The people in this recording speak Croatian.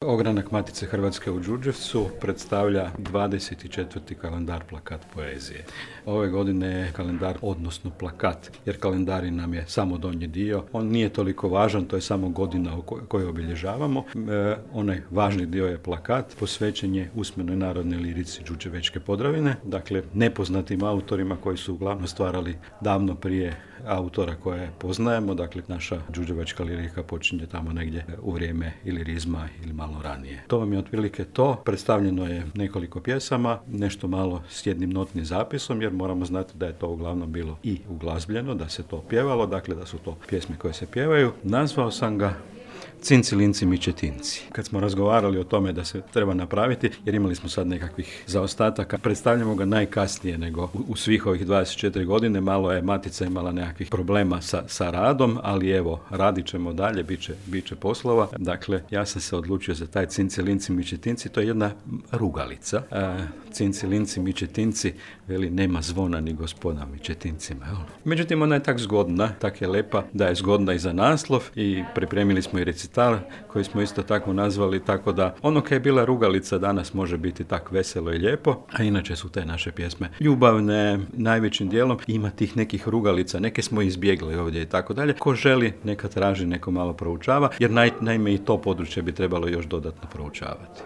Ogranak Matice Hrvatske u Đurđevcu predstavlja 24. kalendar plakat poezije. Ove godine je kalendar, odnosno plakat, jer kalendari nam je samo donji dio. On nije toliko važan, to je samo godina koju obilježavamo. Onaj važni dio je plakat, posvećen je usmenoj narodnoj lirici Đurđevačke Podravine, dakle nepoznatim autorima koji su uglavnom stvarali davno prije autora koje poznajemo, dakle naša đurđevačka lirika počinje tamo negdje u vrijeme ilirizma ili malo ranije. To vam je otprilike to. Predstavljeno je nekoliko pjesama, nešto malo s jednim notnim zapisom, jer moramo znati da je to uglavnom bilo i uglazbljeno, da se to pjevalo, dakle da su to pjesme koje se pjevaju. Nazvao sam ga Cinci, linci, mičetinci. Kad smo razgovarali o tome da se treba napraviti, jer imali smo sad nekakvih zaostataka, predstavljamo ga najkasnije nego u svih ovih 24 godine. Malo je Matica imala nekakvih problema sa radom, ali evo, radit ćemo dalje, bit će poslova. Dakle, ja sam se odlučio za taj Cinci, linci, mičetinci. To je jedna rugalica. Cinci, linci, mičetinci, veli nema zvona ni gospoda mičetincima. Međutim, ona je tak zgodna, tak je lepa, da je zgodna i za naslov i pripremili smo i recital koji smo isto tako nazvali, tako da ono kaj je bila rugalica danas može biti tak veselo i lijepo, a inače su te naše pjesme ljubavne najvećim dijelom. Ima tih nekih rugalica, neke smo izbjegli ovdje i tako dalje. Ko želi, neka traži, neko malo proučava, jer naime i to područje bi trebalo još dodatno proučavati.